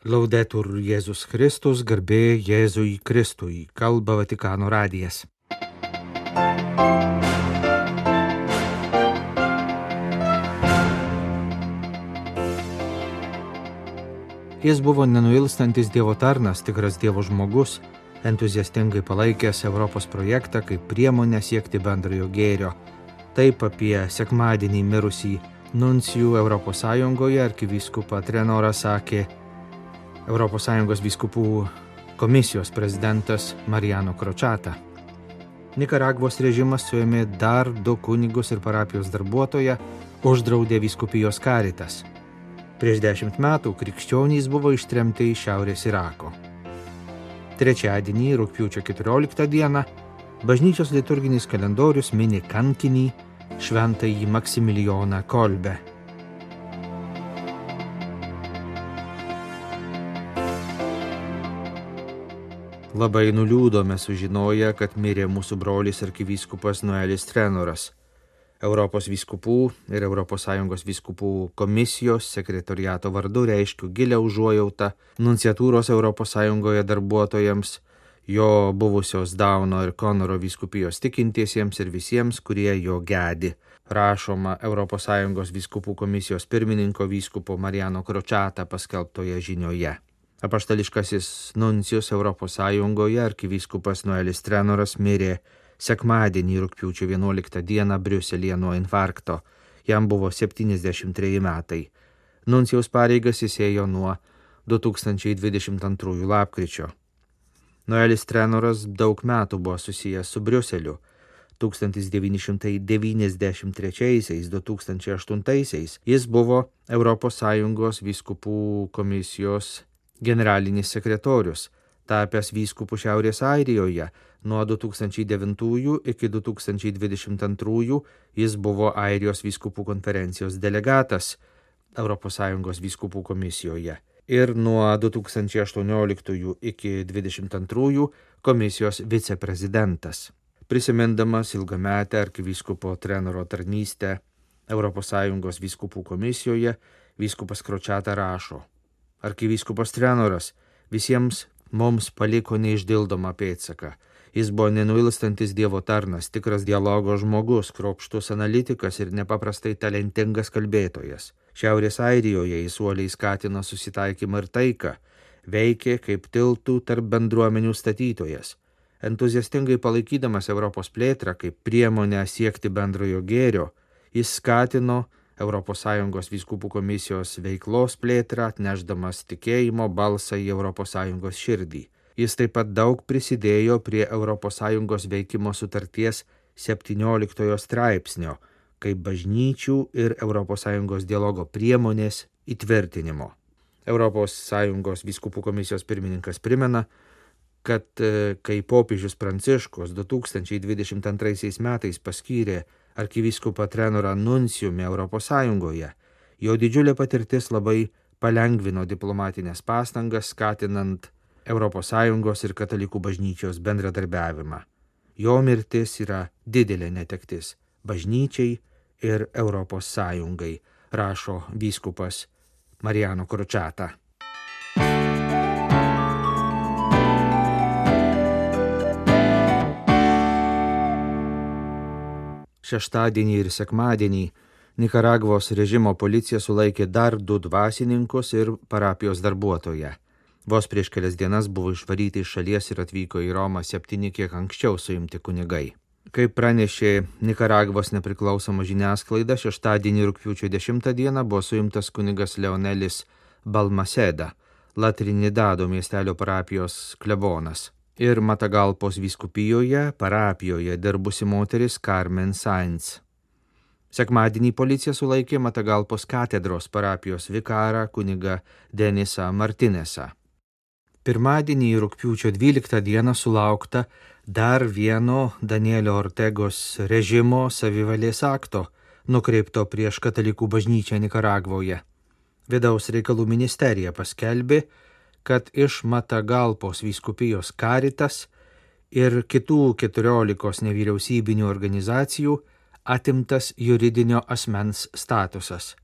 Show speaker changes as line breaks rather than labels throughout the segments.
Laudetur Jėzus Kristus, garbė Jėzui Kristui, kalba Vatikano radijas. Jis buvo nenuilstantis Dievo tarnas, tikras Dievo žmogus, entuziastingai palaikęs Europos projektą kaip priemonę siekti bendrojo gėrio. Taip apie sekmadienį mirusį nuncijų Europos Sąjungoje arkivyskupą Trenorą sakė ES vyskupų komisijos prezidentas Mariano Crociata. Nikaragvos režimas suėmė dar 2 kunigus ir parapijos darbuotoją, uždraudė vyskupijos Caritas. Prieš 10 metų krikščionys buvo ištremti į Šiaurės Irako. Trečiadienį, rugpjūčio 14 dieną, bažnyčios liturginis kalendorius mini kankinį šventąjį Maksimilijoną Kolbę. Labai nuliūdome sužinoję, kad mirė mūsų brolis arkivyskupas Noelis Trenoras. Europos vyskupų ir ES vyskupų komisijos sekretoriato vardu reiškiu gilią užuojautą nunciatūros ES darbuotojams, jo buvusios Dauno ir Konoro vyskupijos tikintiesiems ir visiems, kurie jo gedi. Rašoma ES vyskupų komisijos pirmininko vyskupo Mariano Crociata paskelbtoje žinioje. Apaštališkasis nuncijus ES arkivyskupas Noelis Trenoras mirė sekmadienį rugpjūčio 11 dieną Briuselyje nuo infarkto. Jam buvo 73 metai. Nuncijaus pareigas jis ėjo nuo 2022 lapkričio. Noelis Trenoras daug metų buvo susijęs su Briuseliu. 1993–2008 jis buvo ES vyskupų komisijos generalinis sekretorius, tapęs vyskupų Šiaurės Airijoje. Nuo 2009 iki 2022 jis buvo Airijos vyskupų konferencijos delegatas ES vyskupų komisijoje ir nuo 2018 iki 2022 komisijos viceprezidentas. Prisimindamas ilgametę arkivyskupo Trenoro tarnystę ES vyskupų komisijoje, vyskupas Crociata rašo: Arkivyskupas Trenoras visiems mums paliko neišdildomą pėdsaką. Jis buvo nenuilstantis Dievo tarnas, tikras dialogo žmogus, kruopštus analitikas ir nepaprastai talentingas kalbėtojas. Šiaurės Airijoje jis uoliai skatino susitaikymą ir taiką, veikė kaip tiltų tarp bendruomenių statytojas. Entuziastingai palaikydamas Europos plėtrą kaip priemonę siekti bendrojo gėrio, jis skatino ES vyskupų komisijos veiklos plėtrą, atnešdamas tikėjimo balsą į ES širdį. Jis taip pat daug prisidėjo prie ES veikimo sutarties 17 straipsnio, kaip bažnyčių ir ES dialogo priemonės įtvirtinimo. ES vyskupų komisijos pirmininkas primena, kad kai popiežius Pranciškus 2022 metais paskyrė arkivyskupą Trenorą nuncijumi ES, jo didžiulė patirtis labai palengvino diplomatinės pastangas, skatinant ES ir katalikų bažnyčios bendradarbiavimą. Jo mirtis yra didelė netektis bažnyčiai ir ES, rašo vyskupas Mariano Crociata. Šeštadienį ir sekmadienį Nikaragvos režimo policija sulaikė dar 2 dvasininkus ir parapijos darbuotoją. Vos prieš kelias dienas buvo išvaryti iš šalies ir atvyko į Romą 7 kiek anksčiau suimti kunigai. Kaip pranešė Nikaragvos nepriklausoma žiniasklaida, šeštadienį rugpjūčio 10 dieną buvo suimtas kunigas Leonelis Balmaseda, La Trinidado miestelio parapijos klebonas, ir Matagalpos vyskupijoje parapijoje dirbusi moteris Carmen Sainz. Sekmadienį policija sulaikė Matagalpos katedros parapijos vikarą kunigą Denisą Martinesą. Pirmadienį rugpjūčio 12 dieną sulaukta dar vieno Danielio Ortegos režimo savivalės akto, nukreipto prieš katalikų bažnyčią Nikaragvoje. Vidaus reikalų ministerija paskelbė, kad iš Matagalpos vyskupijos Caritas ir kitų 14 nevyriausybinių organizacijų atimtas juridinio asmens statusas.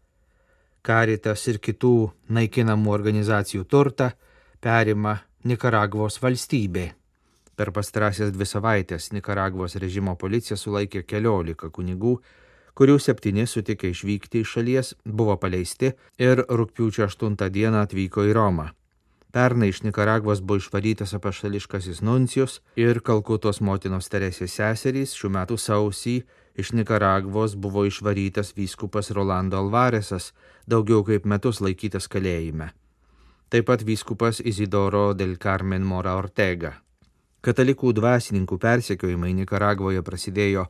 Caritas ir kitų naikinamų organizacijų turtą perima Nikaragvos valstybė. Per pastarąsias 2 savaitės Nikaragvos režimo policija sulaikė 14 kunigų, kurių 7 sutikė išvykti iš šalies, buvo paleisti ir rugpjūčio 8 dieną atvyko į Romą. Pernai iš Nikaragvos buvo išvarytas apaštališkasis nuncijus ir Kalkutos motinos Teresės seserys. Šių metų sausį iš Nikaragvos buvo išvarytas vyskupas Rolando Alvaresas, daugiau kaip metus laikytas kalėjime. Taip pat vyskupas Isidoro del Carmen Mora Ortega. Katalikų dvasininkų persekiojimai Nikaragvoje prasidėjo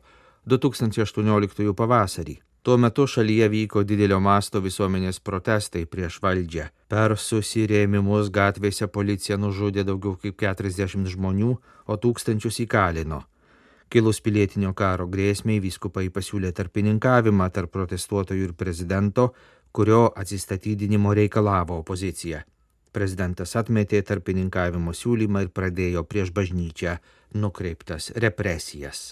2018 pavasarį. Tuo metu šalyje vyko didelio masto visuomenės protestai prieš valdžią. Per susirėmimus gatvėse policija nužudė daugiau kaip 40 žmonių, o tūkstančius įkalino. Kilus pilietinio karo grėsmei, vyskupai pasiūlė tarpininkavimą tarp protestuotojų ir prezidento, kurio atsistatydinimo reikalavo opozicija. Prezidentas atmetė tarpininkavimo siūlymą ir pradėjo prieš bažnyčią nukreiptas represijas.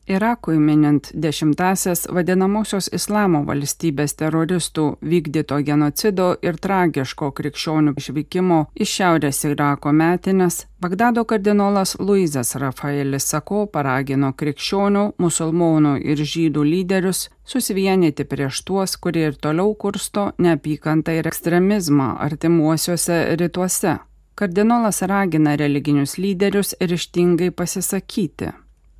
Irakui minint 10-asias vadinamosios Islamo valstybės teroristų vykdyto genocido ir tragiško krikščionių išvykimo iš Šiaurės Irako metines, Bagdado kardinolas Luizas Rafaelis Sako paragino krikščionių, musulmonų ir žydų lyderius susivienyti prieš tuos, kurie ir toliau kursto neapykantą ir ekstremizmą artimuosiuose rytuose. Kardinolas ragina religinius lyderius ryžtingai pasisakyti.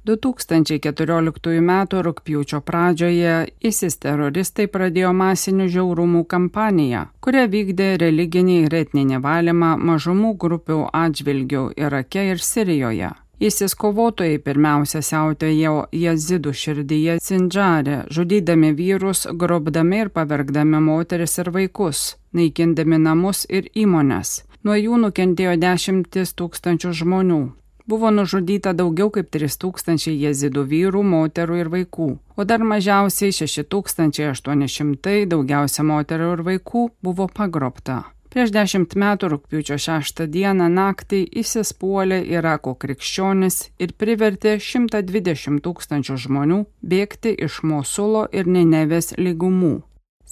2014 m. rugpjūčio pradžioje ISIS teroristai pradėjo masinių žiaurumų kampaniją, kurią vykdė religinį ir etninį valymą mažumų grupių atžvilgių Irake ir Sirijoje. ISIS kovotojai pirmiausia siautėjo jazidų širdyje Sindžare, žudydami vyrus, grobdami ir pavergdami moteris ir vaikus, naikindami namus ir įmones. Nuo jų nukentėjo 10 000 žmonių. Buvo nužudyta daugiau kaip 3000 jezidų vyrų, moterų ir vaikų, o dar mažiausiai 6800, daugiausia moterų ir vaikų, buvo pagrobta. Prieš 10 metų rugpjūčio 6 dieną naktį ISIS puolė Irako krikščionis ir privertė 120 000 žmonių bėgti iš Mosulo ir Ninevės lygumų.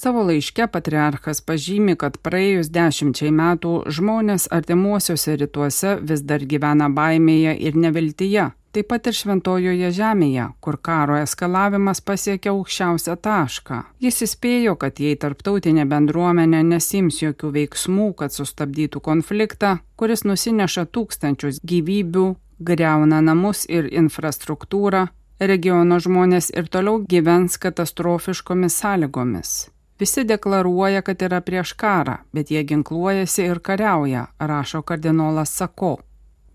Savo laiške patriarchas pažymi, kad praėjus 10 metų žmonės artimuosiuose rytuose vis dar gyvena baimėje ir neviltyje, taip pat ir Šventojoje žemėje, kur karo eskalavimas pasiekė aukščiausią tašką. Jis įspėjo, kad jei tarptautinė bendruomenė nesiims jokių veiksmų, kad sustabdytų konfliktą, kuris nusineša tūkstančius gyvybių, griauna namus ir infrastruktūrą, regiono žmonės ir toliau gyvens katastrofiškomis sąlygomis. Visi deklaruoja, kad yra prieš karą, bet jie ginkluojasi ir kariauja, rašo kardinolas Sako.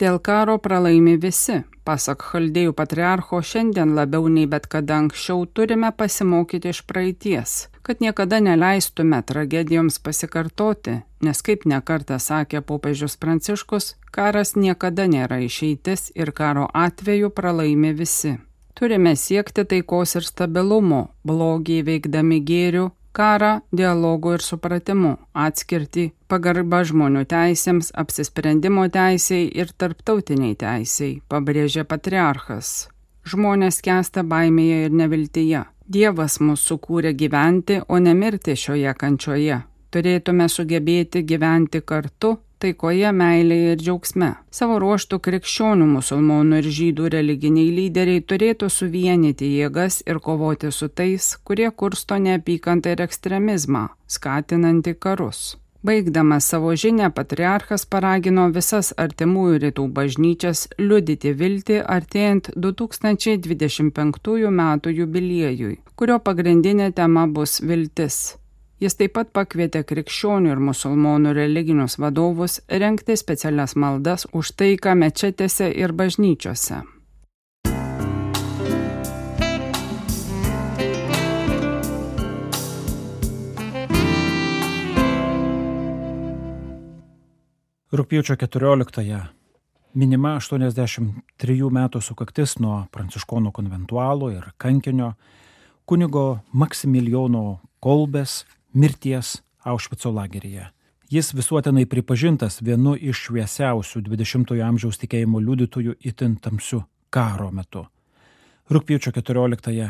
Dėl karo pralaimi visi. Pasak chaldėjų patriarcho, šiandien labiau nei bet kada anksčiau turime pasimokyti iš praeities, kad niekada neleistume tragedijoms pasikartoti, nes kaip nekartą sakė popiežius Pranciškus, karas niekada nėra išeitis ir karo atveju pralaimi visi. Turime siekti taikos ir stabilumo, blogį veikdami gėrių, karą, dialogų ir supratimu, atskirtį, pagarbą žmonių teisėms, apsisprendimo teisei ir tarptautiniai teisei, pabrėžė patriarchas. Žmonės skęsta baimėje ir neviltyje. Dievas mus sukūrė gyventi, o ne mirti šioje kančioje. Turėtume sugebėti gyventi kartu, taikoje, meilėje ir džiaugsme. Savo ruožtų krikščionių, musulmonų ir žydų religiniai lyderiai turėtų suvienyti jėgas ir kovoti su tais, kurie kursto neapykantą ir ekstremizmą, skatinantį karus. Baigdamas savo žinią, patriarchas paragino visas artimųjų rytų bažnyčias liudyti viltį artėjant 2025 metų jubiliejui, kurio pagrindinė tema bus viltis. Jis taip pat pakvietė krikščionių ir musulmonų religinius vadovus rengti specialias maldas už taiką mečetėse ir bažnyčiose.
Rugpjūčio 14-ąją minima 83 metų sukaktis nuo pranciškonų konventualo ir kankinio kunigo Maksimilijono Kolbės mirties Aušvico lageryje. Jis visuotinai pripažintas vienu iš šviesiausių 20-ojo amžiaus tikėjimo liudytojų itin tamsiu karo metu. Rugpjūčio 14-ąją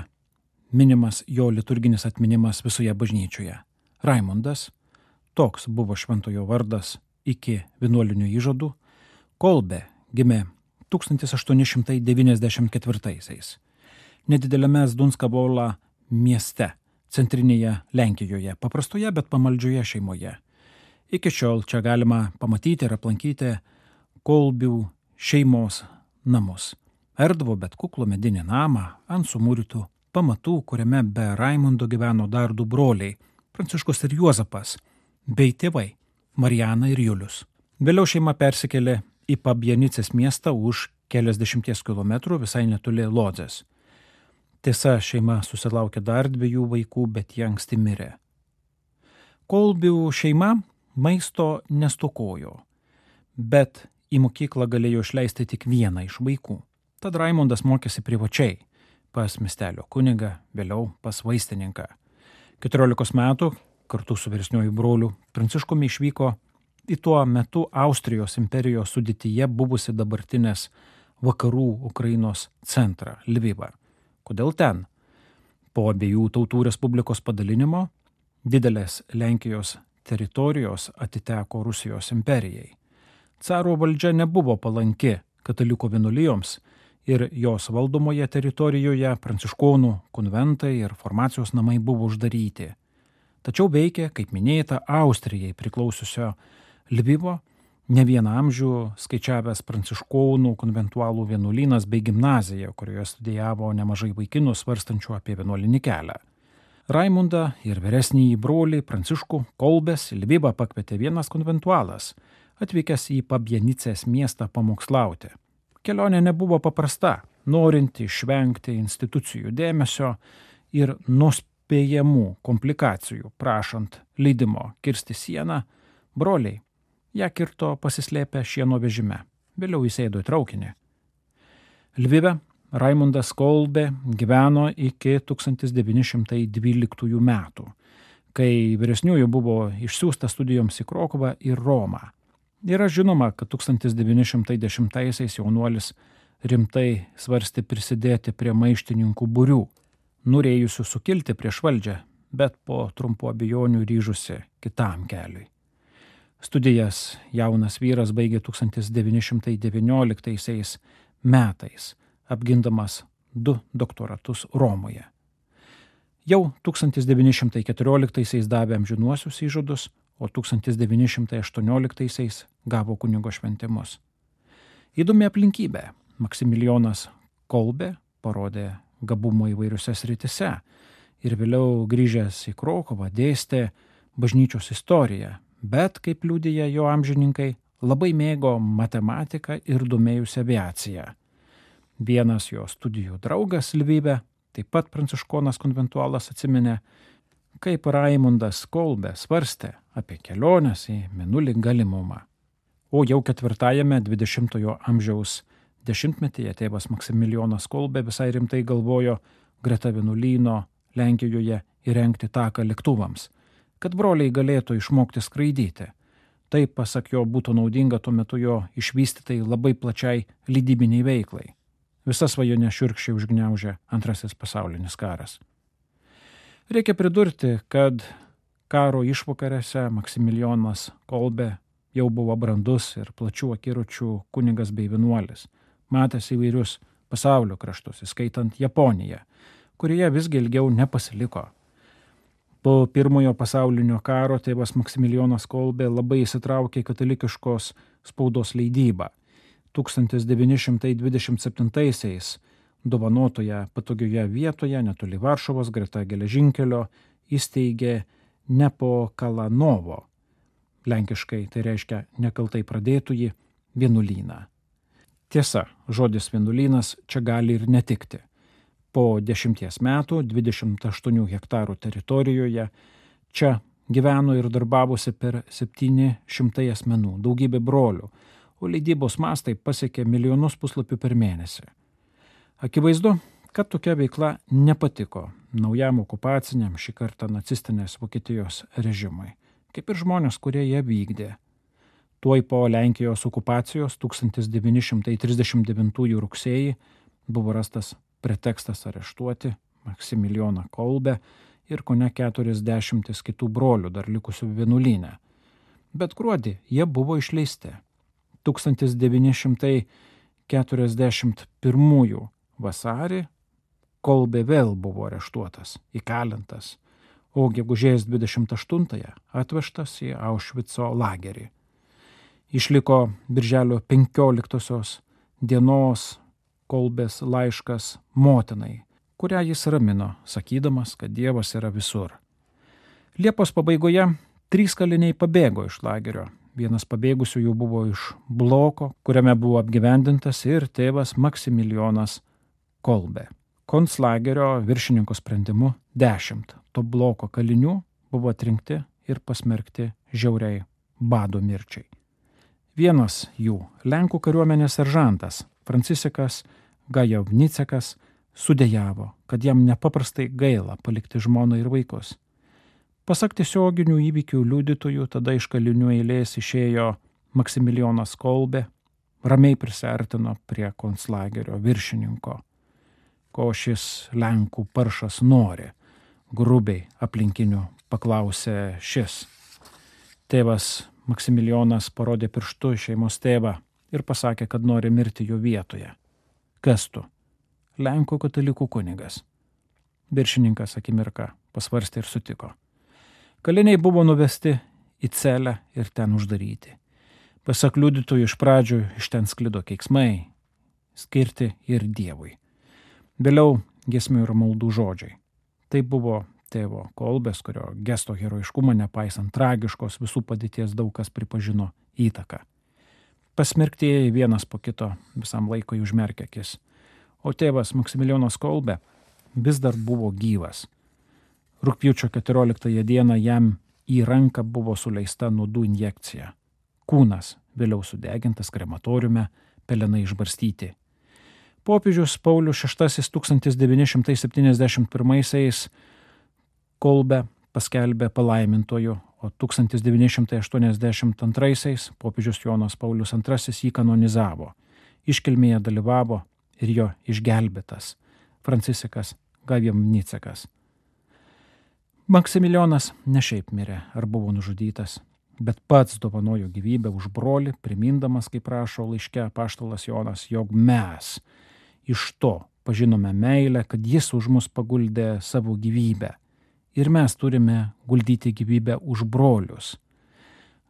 minimas jo liturginis atminimas visoje bažnyčioje. Raimundas, toks buvo šventojo vardas iki vienuolinių įžadų, Kolbė gimė 1894-aisiais. Nedideliame Zdunskabola mieste, centrinėje Lenkijoje, paprastoje, bet pamaldžioje šeimoje. Iki šiol čia galima pamatyti ir aplankyti Kolbių šeimos namus. Erdvų, bet kuklų medinį namą ant sumūrytų pamatų, kuriame be Raimundo gyveno dar du broliai – Pranciškus ir Juozapas, bei tėvai – Marijana ir Julius. Vėliau šeima persikėlė į Pabjanicės miestą už keliasdešimties kilometrų visai netoli Lodzės. Tiesa, šeima susilaukė dar 2 vaikų, bet jie anksti mirė. Kolbių šeima maisto nestokojo, bet į mokyklą galėjo išleisti tik vieną iš vaikų. Tad Raimundas mokėsi privačiai pas miestelio kunigą, vėliau pas vaistininką. 14 metų kartu su vyresniuoju broliu Pranciškumi išvyko į tuo metu Austrijos imperijos sudėtyje buvusi dabartinės vakarų Ukrainos centrą Lvivą. Kodėl ten? Po abiejų tautų respublikos padalinimo didelės Lenkijos teritorijos atiteko Rusijos imperijai. Caro valdžia nebuvo palanki katalikų vienuolijoms ir jos valdomoje teritorijoje pranciškonų konventai ir formacijos namai buvo uždaryti. Tačiau veikė, kaip minėta, Austrijai priklausiusio Lvivo ne vieną amžių skaičiavęs pranciškonų konventualų vienuolynas bei gimnazija, kurioje studijavo nemažai vaikinų svarstančių apie vienuolinį kelią. Raimundą ir vyresnįjį brolį Pranciškų Kolbės į Lvivą pakvietė vienas konventualas, atvykęs į Pabjanicės miestą pamokslauti. Kelionė nebuvo paprasta, norinti išvengti institucijų dėmesio ir nuspėjamų komplikacijų, prašant leidimo kirsti sieną, broliai ją kirto pasislėpę šieno vežime. Vėliau įsėdo į traukinį. Lvive Raimundas Kolbė gyveno iki 1912 metų, kai vyresniųjų buvo išsiųsta studijoms į Krokuvą ir Romą. Yra žinoma, kad 1910-aisiais jaunuolis rimtai svarstė prisidėti prie maištininkų būrių, norėjusių sukilti prieš valdžią, bet po trumpų abejonių ryžusi kitam keliui. Studijas jaunas vyras baigė 1919 metais, apgindamas 2 doktoratus Romoje. Jau 1914 davė amžinuosius įžadus, o 1918 gavo kunigo šventimus. Įdomi aplinkybė. Maksimilijonas Kolbė parodė gabumo įvairiuose srityse ir vėliau grįžęs į Krokuvą dėstė bažnyčios istoriją, bet, kaip liudija jo amžininkai, labai mėgo matematiką ir domėjusi aviaciją. Vienas jo studijų draugas Lvive, taip pat pranciškonas konventualas, atsiminė, kaip Raimundas Kolbė svarstė apie keliones į Mėnulį galimumą. O jau 4-ajame 20-ojo amžiaus dešimtmetyje tėvas Maksimilijonas Kolbė visai rimtai galvojo greta vienuolyno Lenkijoje įrengti taką lėktuvams, kad broliai galėtų išmokti skraidyti. Tai, pasak jo, būtų naudinga tuo metu jo išvystytai labai plačiai leidybiniai veiklai. Visas svajonę šiurkščiai užgniaužė Antrasis pasaulinis karas. Reikia pridurti, kad karo išvakarėse Maksimilijonas Kolbė jau buvo brandus ir plačių akiračių kunigas bei vienuolis, matęs įvairius pasaulio kraštus, įskaitant Japoniją, kurioje visgi ilgiau nepasiliko. Po Pirmojo pasaulinio karo tėvas Maksimilijonas Kolbė labai įsitraukė į katalikiškos spaudos leidybą. 1927-aisiais dovanotoje patogioje vietoje netoli Varšuvos greta geležinkelio įsteigė Nepokalanovo, lenkiškai tai reiškia nekaltai pradėtųjį, vienuolyną. Tiesa, žodis vienuolynas čia gali ir netikti. Po 10 metų 28 hektarų teritorijoje čia gyveno ir darbavosi per 700 asmenų, daugybė brolių, o leidybos mastai pasiekė milijonus puslapių per mėnesį. Akivaizdu, kad tokia veikla nepatiko naujam okupaciniam, šį kartą nacistinės Vokietijos režimui. kaip ir žmonės, kurie ją vykdė. Tuoj po Lenkijos okupacijos 1939 rugsėjį buvo rastas pretekstas areštuoti Maksimilijoną Kolbę ir kone 40 kitų brolių dar likusių vienuolyne. Bet gruodį jie buvo išleisti. 1941 vasarį Kolbė vėl buvo areštuotas, įkalintas, o gegužės 28 atvežtas į Aušvico lagerį. Išliko birželio 15 dienos Kolbės laiškas motinai, kurią jis ramino, sakydamas, kad Dievas yra visur. Liepos pabaigoje 3 kaliniai pabėgo iš lagerio. Vienas pabėgusių jų buvo iš bloko, kuriame buvo apgyvendintas ir tėvas Maksimilijonas Kolbė. Konclagerio viršininko sprendimu 10 to bloko kalinių buvo atrinkti ir pasmerkti žiauriai bado mirčiai. Vienas jų, Lenkų kariuomenės seržantas Franciškas Gajovnicekas, sudejavo, kad jam nepaprastai gaila palikti žmoną ir vaikus. Pasak tiesioginių įvykių liudytojų, tada iš kalinių eilės išėjo Maksimilijonas Kolbė, ramiai prisiartino prie konclagerio viršininko. Ko šis Lenkų paršas nori, grubiai aplinkinių paklausė šis. Tėvas Maksimilijonas parodė pirštu šeimos tėvą ir pasakė, kad nori mirti jo vietoje. Kas tu? Lenkų katalikų kunigas. Viršininkas akimirką pasvarstė ir sutiko. Kaliniai buvo nuvesti į celę ir ten uždaryti. Pasak liudytojų iš pradžių iš ten sklido keiksmai, skirti ir Dievui. Vėliau giesmių ir maldų žodžiai. Tai buvo tėvo Kolbės, kurio gesto herojiškumą nepaisant tragiškos visų padėties daug kas pripažino įtaką. Pasmerktieji vienas po kito visam laikui užmerkė akis. O tėvas Maksimilijonas Kolbė vis dar buvo gyvas. Rugpjūčio 14 dieną jam į ranką buvo suleista nuodų injekcija. Kūnas vėliau sudegintas krematoriume, pelenai išbarstyti. Popiežius Paulius VI 1971 Kolbę paskelbė palaimintoju, o 1982 popiežius Jonas Paulius II jį kanonizavo. Iškilmėje dalyvavo ir jo išgelbėtas Franciškas Gajovnicekas. Maksimilijonas ne šiaip mirė ar buvo nužudytas, bet pats dovanojo gyvybę už brolį, primindamas, kaip rašo laiške apaštalas Jonas, jog mes iš to pažinome meilę, kad jis už mus paguldė savo gyvybę. Ir mes turime guldyti gyvybę už brolius.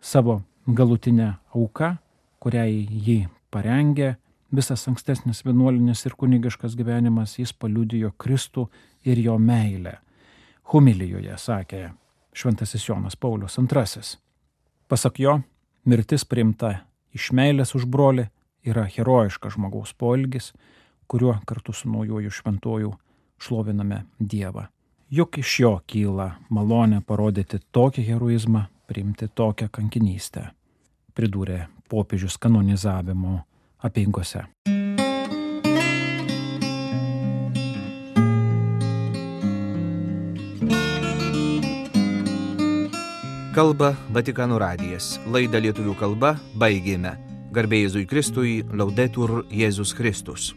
Savo galutinę auką, kuriai jį parengė, visas ankstesnis vienuolinis ir kunigiškas gyvenimas, jis paliudijo Kristų ir jo meilę. Homilijoje sakė šventasis Jonas Paulius II. Pasak jo, mirtis priimta iš meilės už brolį yra herojiškas žmogaus poelgis, kuriuo kartu su naujuoju šventuoju šloviname Dievą. Juk iš jo kyla malonė parodyti tokį heroizmą, priimti tokią kankinystę, pridūrė popiežius kanonizavimo apeigose.
Kalba Vatikano radijas. Laidą lietuvių kalba baigėme. Garbė Jėzui Kristui, Laudetur Jėzus Kristus.